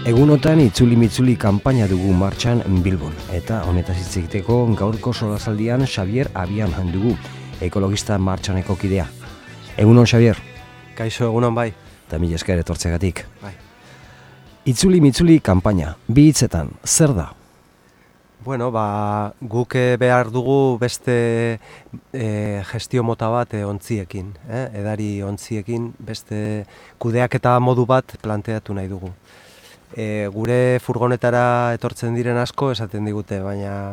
Egunotan itzuli-mitzuli kanpaina dugu martxan Bilbon, eta honetaz hitz egiteko gaurko solasaldian Xabier Abian dugu, ekologista martxaneko kidea. Egunon, Xabier? Kaixo, egunon bai. Eta mila esker etortzegatik. Bai. Itzuli-mitzuli kanpaina, bi hitzetan, zer da? Bueno, guk behar dugu beste gestio mota bat ontziekin, edari ontziekin, beste kudeaketa modu bat planteatu nahi dugu. Gure furgonetara etortzen diren asko esaten digute, baina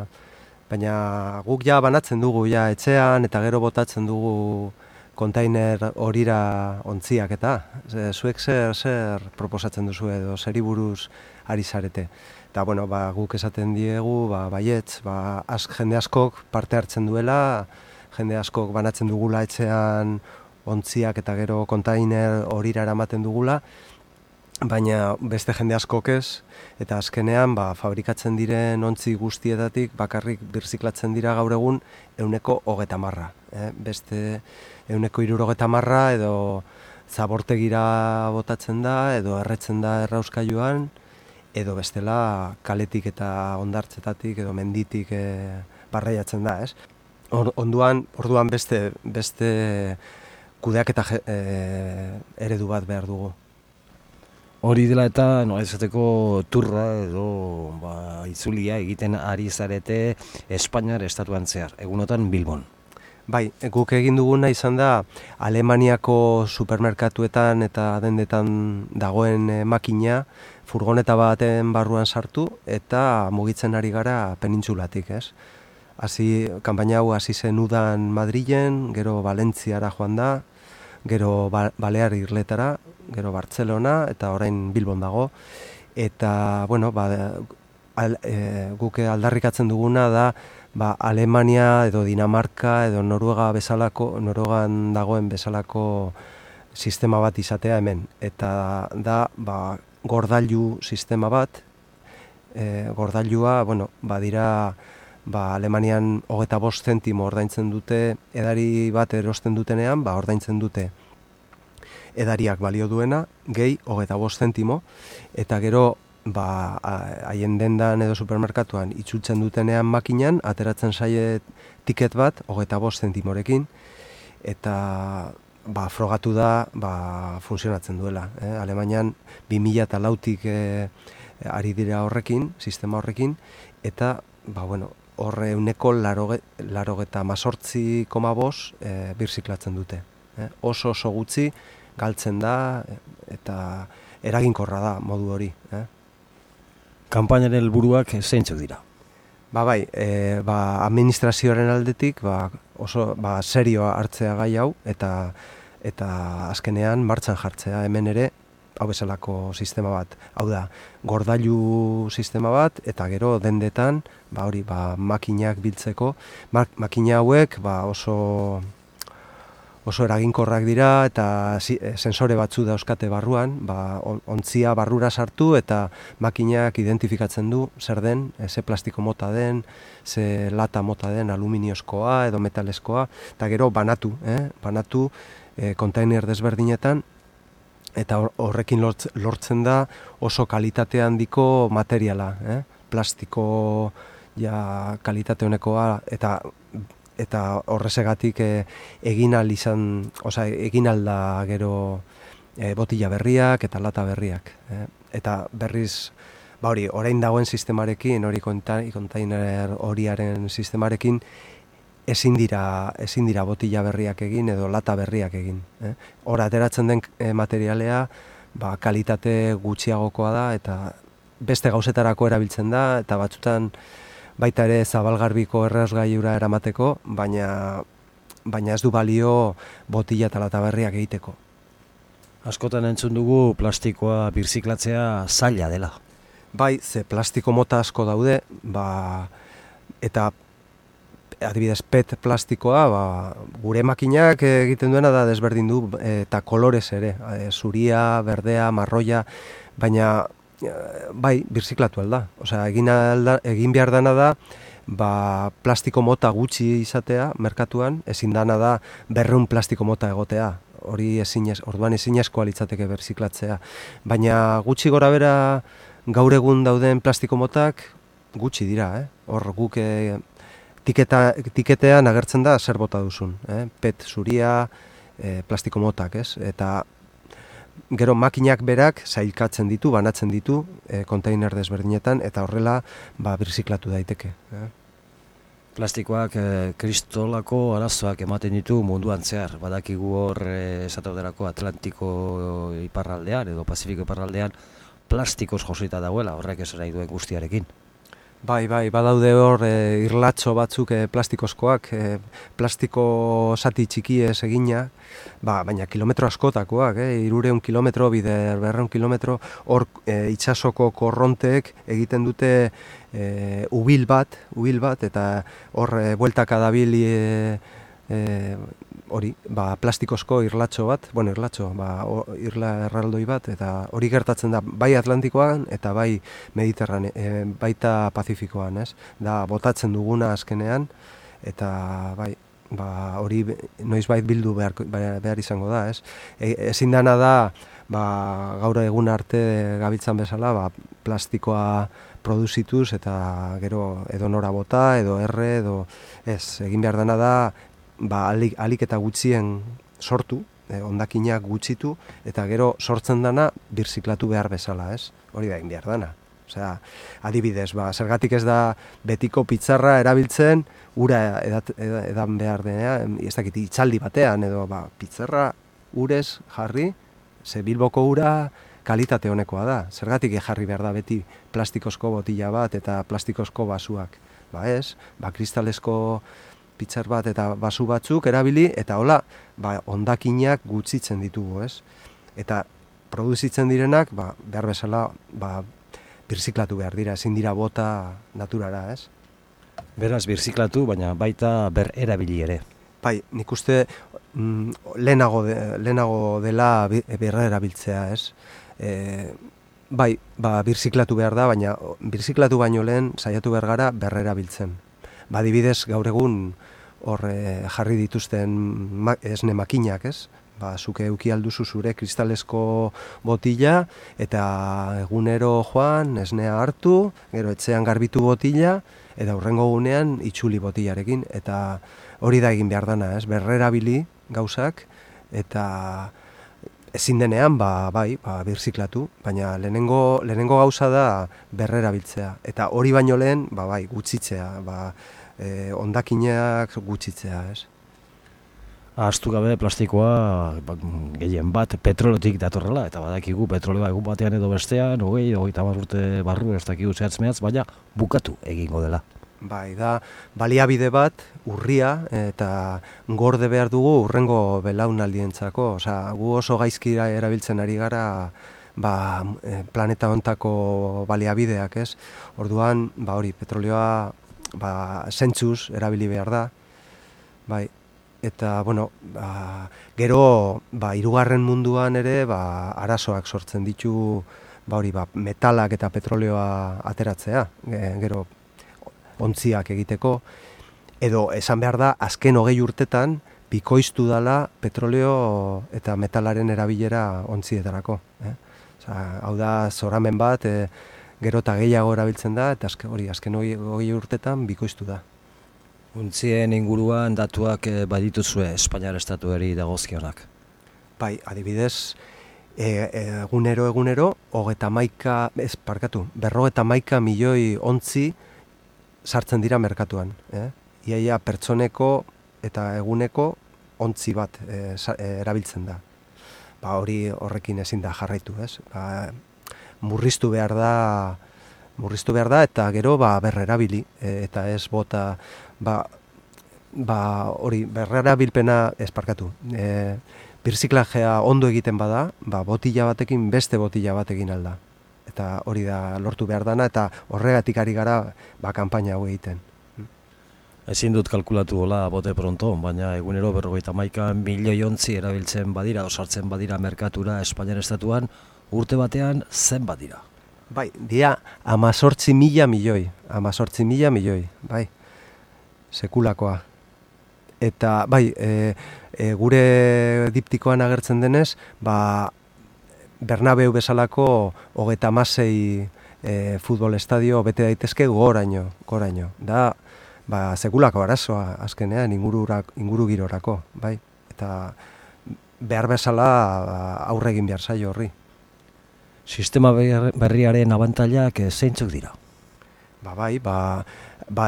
guk ja banatzen dugu ja etxean eta gero botatzen dugu kontainer horira ontziak eta zuek zer proposatzen duzu edo zeri buruz ari zarete. Eta bueno, guk esaten diegu, baietz, jende askok parte hartzen duela, jende askok banatzen dugula etxean ontziak eta gero kontainer horira eramaten dugula, baina beste jende askok ez, eta azkenean fabrikatzen diren ontzi guztietatik bakarrik birziklatzen dira gaur egun 30%. Beste 70% edo zabortegira botatzen da, edo erretzen da errauskailuan, edo bestela kaletik eta hondartzetatik edo menditik barreiatzen da, ez? Orduan beste kudeaketa eredu bat behar dugu. Hori dela eta esateko turra edo itzulia egiten ari zarete Espainiar estatuan zehar, egunotan Bilbon. Bai, guk egin duguna izan da Alemaniako supermerkatuetan eta dendetan dagoen makina furgoneta baten barruan sartu eta mugitzen ari gara penintsulatik, ez? Kanpaina hau hasi zen udan Madrilen, gero Valentziara joan da, gero Balear Irletara, gero Bartzelona eta orain Bilbon dago. Eta, bueno, guk aldarrikatzen duguna da Alemania edo Dinamarka edo Noruegan dagoen bezalako sistema bat izatea hemen. Eta da, gordailu sistema bat, gordailua, dira Alemanian 25 zentimo ordaintzen dute, edari bat erosten dutenean, ordaintzen dute edariak balio duena, gehi 25 zentimo, eta gero haien dendan edo supermerkatuan itzultzen dutenean makinan, ateratzen zaie tiket bat 25 zentimorekin, eta frogatu da funtzionatzen duela. Alemanian 2004tik ari dira horrekin, sistema horrekin, eta horre 98,5 birziklatzen dute. Oso gutxi galtzen da eta eraginkorra da modu hori. Kanpainaren helburuak zeintzuk dira? Administrazioaren aldetik oso serioa hartzea gai hau eta azkenean martxan jartzea hemen ere hau bezalako sistema bat. Hau da, gordailu sistema bat eta gero dendetan makinak biltzeko. Makina hauek oso eraginkorrak dira eta sensore batzu dauzkate barruan, ontzia barrura sartu eta makinak identifikatzen du zer den, ze plastiko mota den, ze lata mota den, aluminiozkoa edo metalezkoa, eta gero banatu kontainer desberdinetan, eta horrekin lortzen da oso kalitate handiko materiala, plastiko kalitate honekoa eta horrezegatik egin alda gero botila berriak eta lata berriak. Eta berriz, orain dagoen sistemarekin, hori kontainer horiaren sistemarekin, ezin dira botila berriak egin edo lata berriak egin. Hor ateratzen den materialea kalitate gutxiagokoa da eta beste gauzetarako erabiltzen da eta batzutan baita ere zabalgarbiko errasgailura eramateko, baina ez du balio botila eta lata berriak egiteko. Askotan entzun dugu plastikoa birziklatzea zaila dela. Bai, ze plastiko mota asko daude, eta adibidez PET plastikoa, gure makinak egiten duena da desberdin du eta kolorez ere, zuria, berdea, marroia, baina birziklatu alda. Egin behar dana da, plastiko mota gutxi izatea merkatuan, ezin dana da 200 plastiko mota egotea. Orduan ezinezkoa litzateke birziklatzea. Baina gutxi gora bera gaur egun dauden plastiko motak gutxi dira, hor guk tiketean agertzen da zer bota duzun, PET zuria, plastiko motak, eta gero makinak berak sailkatzen ditu, banatzen ditu konteiner desberdinetan, eta horrela birziklatu daiteke. Plastikoak kristolako arazoak ematen ditu munduan zehar. Badakigu hor esatauderako Atlantiko iparraldean edo Pazifiko iparraldean plastikoz josita dagoela, horrek ez nahi duen guztiarekin. Bai, badaude hor irlatxo batzuk plastikozkoak, plastiko zati txikiez egina, baina kilometro askotakoak, 300 kilometro, 200 kilometro, hor itsasoko korronteek egiten dute ubil bat, eta hor bueltaka dabil hori, plastikozko irlatxo bat, irla erraldoi bat, eta hori gertatzen da bai Atlantikoan eta bai baita Pazifikoan, da botatzen duguna azkenean, eta hori noizbait bildu behar izango da, ezin dana da, gaur egun arte gabiltzan bezala, plastikoa produzituz eta gero edo nora bota, edo erre, edo egin behar dana da, alik eta gutxien sortu, hondakinak gutxitu, eta gero sortzen dana birziklatu behar bezala, hori da egin behar dana. Osea, adibidez, zergatik ez da betiko pitzarra erabiltzen, ura edan behar denean, ez dakit itzaldi batean, edo pitzarra urez jarri, ze Bilboko ura kalitate honekoa da. Zergatik jarri behar da beti plastikozko botila bat eta plastikozko basuak. Kristalesko pitzar bat eta basu batzuk erabili, eta hola, hondakinak gutxitzen ditugu, Eta produzitzen direnak, behar bezala, birziklatu behar dira, ezin dira bota naturara, Beraz, birziklatu, baina baita erabili ere. Bai, nik uste lehenago dela berrerabiltzea, birziklatu behar da, baina birziklatu baino lehen saiatu behar gara berrerabiltzen. Adibidez, gaur egun hor jarri dituzten esne makinak, zuke euki alduzu zure kristalesko botila, eta egunero joan, esnea hartu, gero etxean garbitu botila, eta hurrengo gunean itxuli botilarekin, eta hori da egin behar dana, berrerabili gauzak, eta ezin denean, birziklatu, baina lehenengo gauza da berrerabiltzea, eta hori baino lehen, gutxitzea, hondakinak gutxitzea, Ahaztu gabe plastikoa gehien bat petrolotik datorrela, eta badakigu petroleoa egun batean edo bestean, 20-30 urte barru ez dakigu zehatz-mehatz, baina bukatu egingo dela. Da baliabide bat, urria, eta gorde behar dugu urrengo belaunaldientzako. Gu oso gaizki erabiltzen ari gara planeta hontako baliabideak, Orduan, hori, petroleoa zentzuz erabili behar da, eta, gero, hirugarren munduan ere, arazoak sortzen ditu, metalak eta petroleoa ateratzea, gero, ontziak egiteko, edo esan behar da, azken 20 urtetan, bikoiztu dala petroleo eta metalaren erabilera ontzietarako. Hau da, zoramen bat, gero eta gehiago erabiltzen da, eta azken 20 urtetan bikoiztu da. Ontzien inguruan datuak badituzue Espainiar estatuari dagozkionak? Adibidez, egunero, 51 milioi ontzi sartzen dira merkatuan. Iaia pertsoneko eta eguneko ontzi bat erabiltzen da. Horrekin ezin da jarraitu, murriztu behar da eta gero berrerabili, eta ez bota, berrerabilpena birziklajea ondo egiten bada, botila batekin beste botila bat egin alda. Eta hori da lortu behar dana, eta horregatik ari gara kanpaina hau egiten. Ezin dut kalkulatu hola bote pronto, baina egunero 51 milioi ontzi erabiltzen badira, osartzen badira merkatura Espainiar estatuan, urte batean zen badira. Dia 18.000 milioi, sekulakoa. Eta, gure diptikoan agertzen denez, Bernabeu bezalako 36 futbol estadio bete daitezke goraino. Da, sekulako arazoa azkenean ingurugirorako, bai? Eta behar bezala aurre egin behar zaio horri. Sistema berriaren abantailak zeintzuk dira?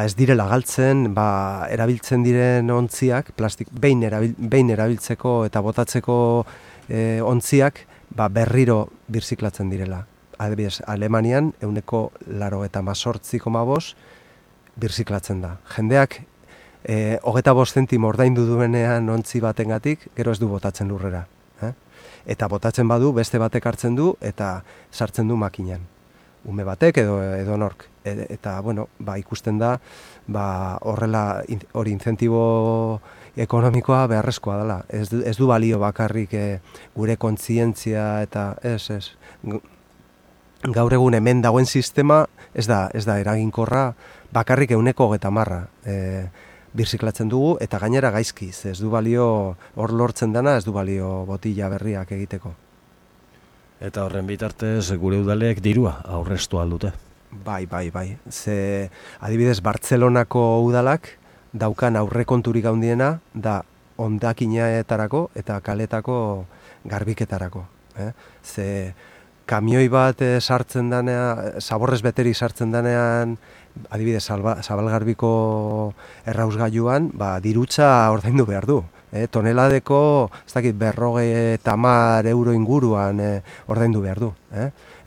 Ez direla galtzen, erabiltzen diren ontziak, behin erabiltzeko eta botatzeko ontziak, berriro birziklatzen direla. Adibidez, Alemanian 98,8% birziklatzen da. Jendeak 25 zentimo ordaindu duenean ontzi batengatik, gero ez du botatzen lurrera. Eta botatzen badu, beste batek hartzen du eta sartzen du makinan. Ume batek edo nork. Eta, ikusten da, horrela hori incentibo ekonomikoa beharrezkoa dela. Ez du balio bakarrik gure kontzientzia eta ez. Gaur egun hemen dagoen sistema ez da eraginkorra bakarrik 130 birziklatzen dugu eta gainera gaizkiz. Ez du balio hor lortzen dana, ez du balio botila berriak egiteko. Eta horren bitartez gure udalek dirua aurreztu aldute. Bai. Ze adibidez Bartzelonako udalak daukan aurrekonturik handiena da hondakinaetarako eta kaletako garbiketarako. Ze kamioi bat sartzen danean, zaborrez beterik sartzen danean, adibidez Zabalgarbiko errausgailuan, dirutza ordaindu behar du. Toneladeko, ez dakit, 50 euro inguruan ordaindu behar du.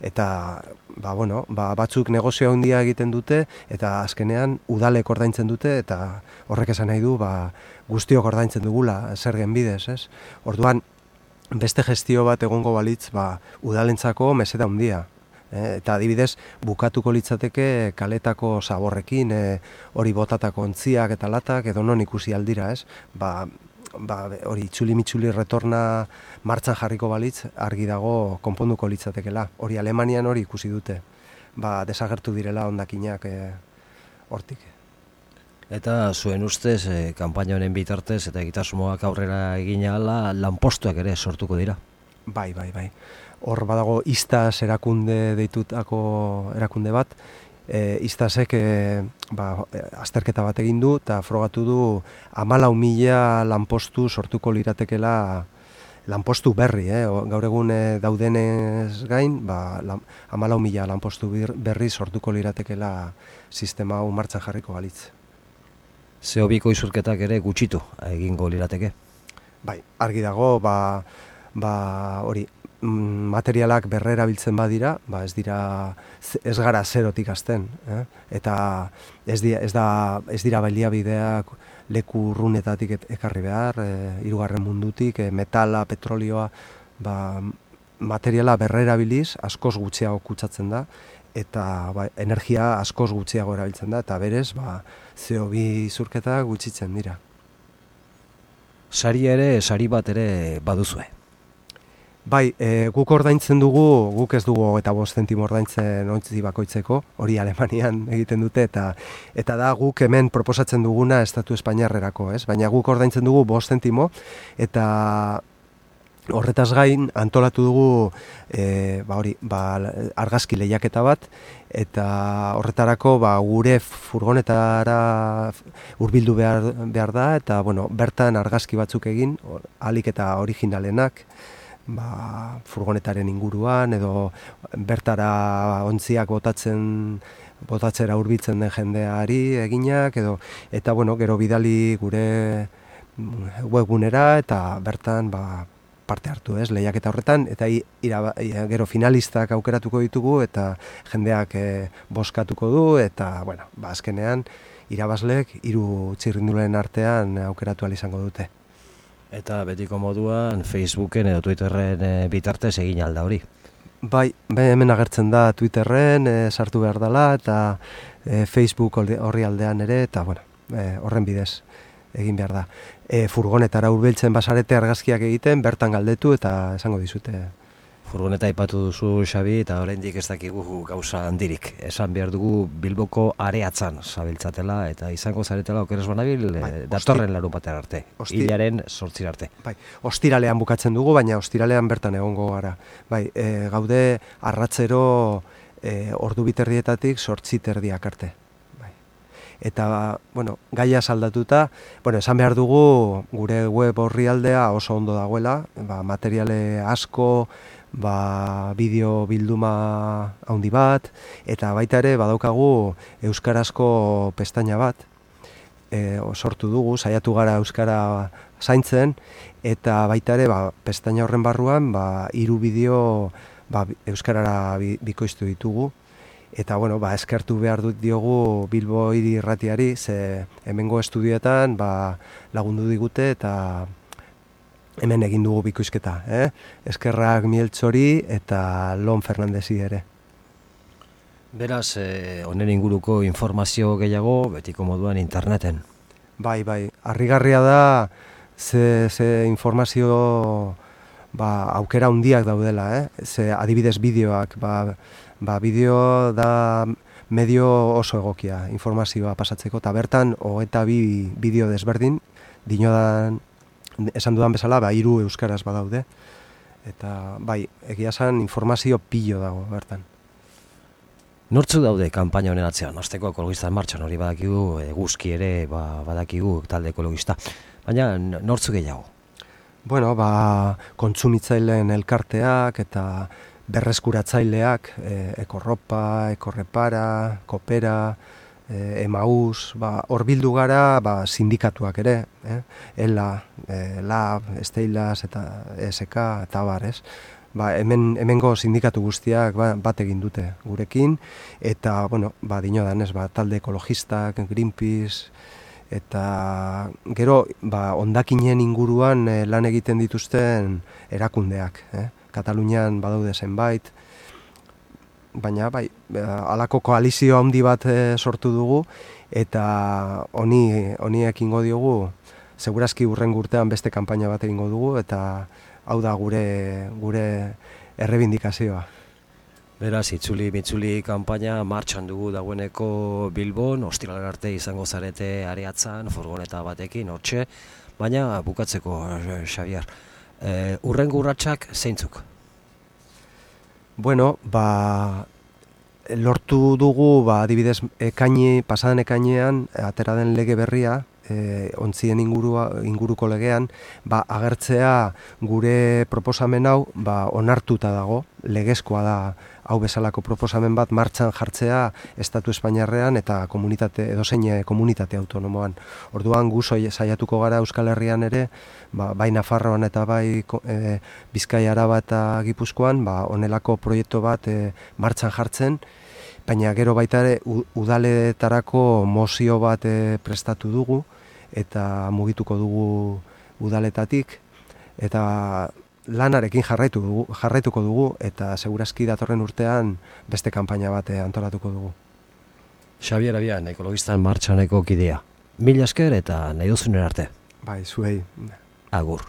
Eta, batzuk negozio handia egiten dute, eta azkenean udalek ordaintzen dute, eta horrek esan nahi du, guztiok ordaintzen dugula, zergen bidez, ez? Orduan, beste gestio bat egongo balitz, udalentzako meseda handia. Eta adibidez, bukatuko litzateke kaletako zaborrekin, hori botatako ontziak eta latak, edo non ikusi aldira, ez? Hori itzuli-mitzuli retorna martxan jarriko balitz, argi dago konponduko litzatekela. Hori Alemanian hori ikusi dute. Desagertu direla hondakinak hortik. Eta zuen ustez, kanpaina honen bitartez eta egitasmoak aurrera egin ahala, lanpostuak ere sortuko dira? Bai. Hor badago Istas erakunde deitutako erakunde bat, Istasek azterketa bat egin du eta frogatu du 14.000 lanpostu sortuko liratekela, lanpostu berri, gaur egun daudenez gain, 14.000 lanpostu berri sortuko liratekela sistema hau martxan jarriko balitz. CO2ko isurketak ere gutxitu egingo lirateke? Bai, argi dago, hori, materialak berrerabiltzen badira, ez gara zerotik hasten, eta ez dira baliabideak leku urrunetatik ekarri behar, hirugarren mundutik, metala, petrolioa, materiala berrerabiliz askoz gutxiago kutsatzen da, eta energia askoz gutxiago erabiltzen da, eta berez, CO2 isurketak gutxitzen dira. Sari bat ere baduzue? Bai, guk ordaintzen dugu, guk ez dugu 25 zentimo ordaintzen ontzi bakoitzeko, hori Alemanian egiten dute, eta da guk hemen proposatzen duguna Estatu Espainiarrerako, ez? Baina guk ordaintzen dugu 5 zentimo, eta horretaz gain antolatu dugu argazki lehiaketa bat, eta horretarako gure furgonetara hurbildu behar da, eta bertan argazki batzuk egin, ahalik eta originalenak, furgonetaren inguruan, edo bertara ontziak botatzera hurbiltzen den jendeari eginak, eta gero bidali gure webgunera, eta bertan parte hartu, lehiaketa horretan, eta gero finalistak aukeratuko ditugu, eta jendeak bozkatuko du, eta azkenean irabazleek 3 txirrindulen artean aukeratu ahal izango dute. Eta betiko moduan Facebooken edo Twitterren bitartez egin alda hori? Bai, hemen agertzen da Twitterren, sartu behar dela, eta Facebook horri aldean ere, eta horren bidez egin behar da. Furgonetara hurbiltzen basarete argazkiak egiten, bertan galdetu eta esango dizute. Furgoneta aipatu duzu, Xabi, eta oraindik ez dakigu gauza handirik. Esan behar dugu Bilboko areatzan zabiltzatela, eta izango zaretela okeres banabil datorren larunbatean arte, hilaren 8 arte. Bai, ostiralean bukatzen dugu, baina ostiralean bertan egongo gara. Bai, gaude arratzero ordu biterdietatik 8:30 arte. Bai. Eta, bueno, gaia saldatuta, bueno, esan behar dugu gure web orrialdea oso ondo dagoela, materiale asko, bideo bilduma handi bat, eta baita ere badaukagu euskarazko pestaina bat, sortu dugu, saiatu gara euskara zaintzen, eta baita ere pestaina horren barruan 3 bideo euskarara bikoiztu ditugu. Eta bueno, eskertu behar dut diogu Bilbo Hiri Irratiari, ze hemengo estudioetan lagundu digute eta hemen egin dugu bikoizketa. Eskerrak Mieltzori eta Lon Fernandezi ere. Beraz, honen inguruko informazio gehiago, betiko moduan interneten. Bai, harrigarria da ze informazio aukera handiak daudela, ze adibidez bideoak, bideo da medio oso egokia informazioa pasatzeko, eta bertan 22 bideo desberdin, dinodan, esan dudan bezala, 3 euskaraz badaude, eta egia esan informazio pilo dago bertan. Nortzuk daude kanpaina honen atzean? Hasteko Ekologista en Martxan hori badakigu, eguzki ere badakigu talde ekologista, baina nortzuk gehiago? Bueno, kontsumitzaileen elkarteak eta berreskuratzaileak, Ekorropa, Ekorrepara, Kopera, Emaus, hor bildu gara sindikatuak ere, ELA, LAB, Steilas eta ESK eta bar, ez? Hemengo sindikatu guztiak bat egin dute gurekin, eta, bueno, dinodan, ez, talde ekologistak, Greenpeace, eta gero, hondakinen inguruan lan egiten dituzten erakundeak, Katalunian badaude zenbait, baina halako koalizio handi bat sortu dugu, eta honi ekingo diogu, segurazki hurrengo urtean beste kanpaina bat egingo dugu, eta hau da gure errebindikazioa. Beraz, itzuli kanpaina martxan dugu dagoeneko Bilbon, ostiralera arte izango zarete Areatzan, furgoneta batekin, hortxe, baina bukatzeko, Xabier, hurrengo urratsak zeintzuk? Bueno, lortu dugu, adibidez, pasaden ekainean, atera den lege berria, ontzien inguruko legean, agertzea gure proposamen hau onartuta dago, legezkoa da hau bezalako proposamen bat martxan jartzea Estatu Espainiarrean eta edozein komunitate autonomoan. Orduan gu saiatuko gara Euskal Herrian ere, bai Nafarroan eta bai Bizkaia, Araba eta Gipuzkoan, honelako proiektu bat martxan jartzen, baina gero baita ere udaletarako mozio bat prestatu dugu eta mugituko dugu udaletatik, eta lanarekin jarraituko dugu, eta segurazki datorren urtean beste kanpaina bat antolatuko dugu. Xabier Abian, Ekologista en Martxaneko kidea. Mila esker eta nahi duzunen arte. Bai, zuei. Agur.